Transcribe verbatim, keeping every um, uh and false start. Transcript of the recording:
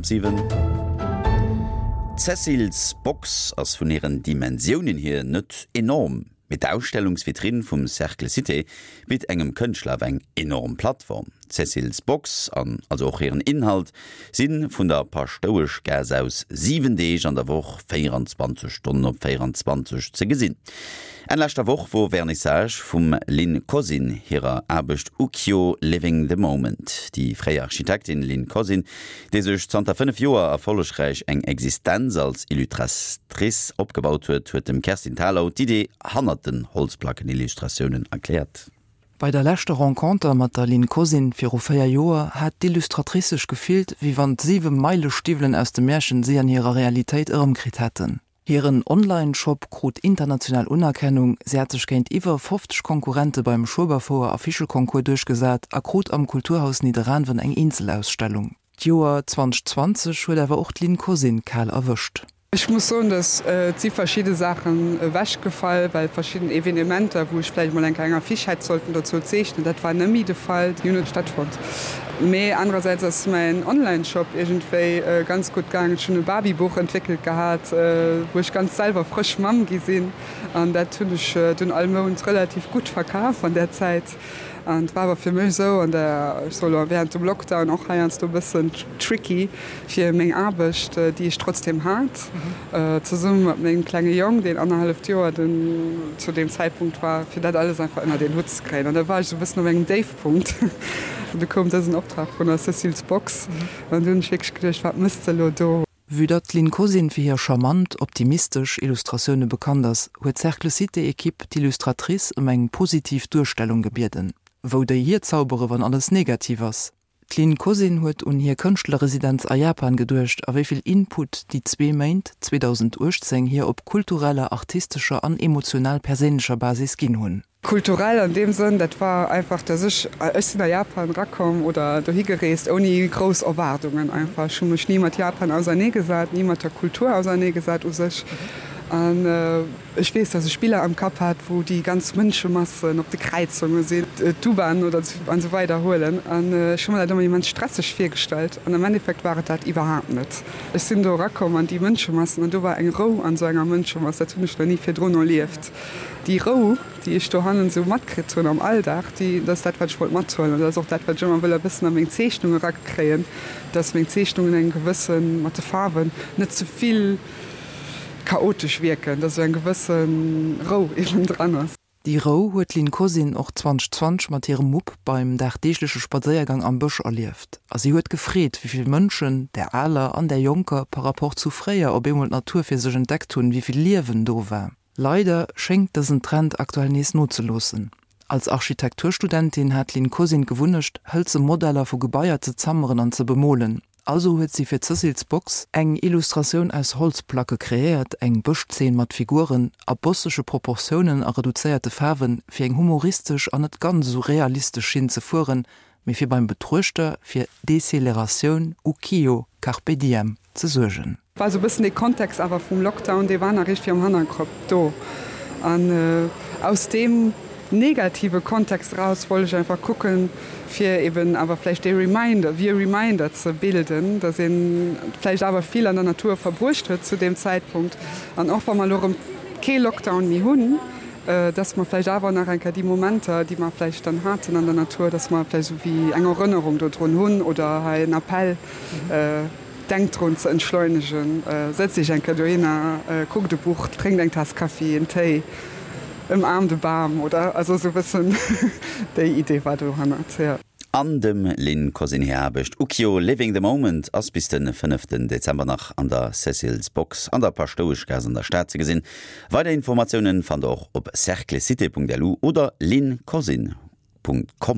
Siwen. D'Cecil's Box ass vun hiren Dimensiounen hier net enorm, mee d'Ausstellungsvitrinn vum Cercle Cité bitt engem Kënschtler awer eng enorm Plattform. D'Cecil's Box, an also och hiren Inhalt, si vun der Paschtoueschgaass aus siwen Deeg an der Woch, véieranzwanzeg Stonnen op véieranzwanzeg ze gesinn. Enn leschter Woch wor Vernissage vum Lynn Cosyn hirer Aarbecht Ukyo Living the Moment. Déi fréier Architektin Lynn Cosyn, déi sech zanter fënnef Joer erfollegräich eng Existenz als Illustratrice opgebaut huet, huet dem Kerstin Thalau d'Idee hannert den Holzplackenillustratiounen erkläert. Bei der leschter Renconter mat der Lynn Cosyn viru véier Joer hat d'Illustratrice sech gefillt, wéi wann d'siwe Meilestiwwelen aus dem Märchen si an hirer Realitéit erëmkritt hätten. Hiren Online-Shop krut international Unerkennung, si hat sech géint iwwer fofzeg Konkurrente beim Schueberfouer Afficheconcours duerchgesat a krut am Kulturhaus Nidderaanwen eng Eenzelausstellung. D'Joer zweitausendzwanzeg huet awer och d'Lynn Cosyn kal erwëscht. Ech muss soen, dass et si verschidde Saachen ewechgefall, well verschidden Evenementer, wou ech vläicht mol eng kleng Affiche hätt sollten dozou zeechnen, dat war net méi de Fall, déi hunn net stattfonnt. Mee anerersäits ass mäin Online-Shop iergendwéi ganz gutt gaangen. Ech hunn e Babybuch entwéckelt gehat, wou ech ganz selwer frësch Mamm gi sinn, an dat hunn ech dunn all Mount relativ gutt verkaf an där Zäit. An et war awer fir mech esou an der, ech soe lo während dem Lockdown och heiansdo e bëssen tricky fir meng Aarbecht, déi ech trotzdem hat, zesumme mat mengem klenge Jong, deen annerhalleft Joer den zu deem Zäitpunkt war, fir dat alles einfach ënnert een Hutt ze kréien. An da war ech esou e bëssen op engem Déifpunkt. An du koum dësen Optrag vun der Cécile's Box an du hunn ech wierklech geduecht, wat mëss de elo do? Vue datt d'Lynn Cosyn fir hir charmant, optimistesch Illustratioune bekannt ass, huet d'Cercle Cité-Ekipp d'Illustratrice ëm eng positiv Duerstellung gebieden. Wou déi hierzaubere wann alles negativ ass? D'Lynn Cosyn huet un hir Kënschtlerresidenz a Japan geduecht a wéi vill Input déi zwee Méint zweedausendachtzéng hir op kultureller, artistescher an emotional-perséinlecher Basis ginn hunn. Kulturell an deem Sënn, dat war einfach, dass ech, ech sinn a Japan erakomm oder dohi gereest ouni grouss Erwaardungen einfach. Ech hu mech ni mat Japan auserneegesat, ni mat der Kultur auserneegesat u sech. An ech weess, dass ech Biller am Kapp hat, wou déi ganz Mënschemassen op de Kräizunge sinn, d'U-Bahn oder an esou weider huelen. An ech hu mer dat ëmmer immens stresseg virgestallt an am Endeffekt war et dat iwwerhaapt net. Ech sinn do erakomm an déi Mënschemassen an do war eng Rou an esou enger Mënschemass, dat hunn ech nach ni virdrun erlieft. Déi Rou, déi ech dohannen esou matkritt hunn am Alldag, déi, dat ass dat, wat ech wollt mathuelen. An dat ass och dat, wat ech ëmmer wëll e bëssen a meng Zeechnung erakréien, dass meng Zeechnungen eng gewësse, mat de Faarwen, net ze vill chaotesch wierken, dass esou eng gewësse Rou eben dran ass. Déi Rou huet d'Lynn Cosyn och zweitausendzwanzeg mat hirem Mupp beim dagdeegleche Spadséiergang am Bësch erlieft. A si huet gefreet, wéi vill Mënschen, där aler an där jonker, par rapport zu fréier op eemol d'Natur fir sech entdeckt hunn, wéi vill Liewen do war. Leider schéngt dësen Trend aktuell nees nozeloossen. Als Architekturstudentin hat d'Lynn Cosyn d'Gewunnecht, hëlze Modeller vu Gebaier ze zammeren an ze bemolen. Also huet si fir d'Cecil's Box eng Illustratioun aus Holzplacke kreéiert, eng Bëschzeen mat Figuren a bossege Proportiounen a reduzéierte Faarwen, fir eng humoristesch an net ganz esou realistesch Schinn ze fueren, mee fir beim Betruechter fir Deceleratioun, Ukiyo, Carpe diem, ze suergen. War sou bëssen dee Kontext awer vum Lockdown, dee war nach iergendwéi am Hannerkopp do. An aus deem negative Kontext eraus wollt ech einfach kucken, fir eben awer vläicht dee Reminder, wéi e Reminder ze bilden, dass ee vläicht awer vill an der Natur verbruecht huet zu deem Zäitpunkt. An och wa mer elo erëm kee Lockdown méi hunn, dass mer vläicht awer nach eng Kéier déi Momenter, déi mer vläicht dann haten an der Natur, dass mer vläicht esou wéi eng Erënnerung dodrun hunn oder hei en Appell, Denkt drun ze entschleunegen, sëtzt Iech eng Kéier dohinner, kuckt e Buch, drénkt eng Taass Kaffi, en Téi, ëmaarmt e Bam oder also esou e bëssen déi Idee war dohannert, jo. An dem Lynn Cosyn hir Aarbecht Ukiyo, Living the Moment ass bis de fënneften Dezember nach an der Cécile's Box an der Paschtoueschgaass an der Stad ze gesinn. Weider Informatiounen fannt der och op cerclecité.lu oder lynncosyn.com.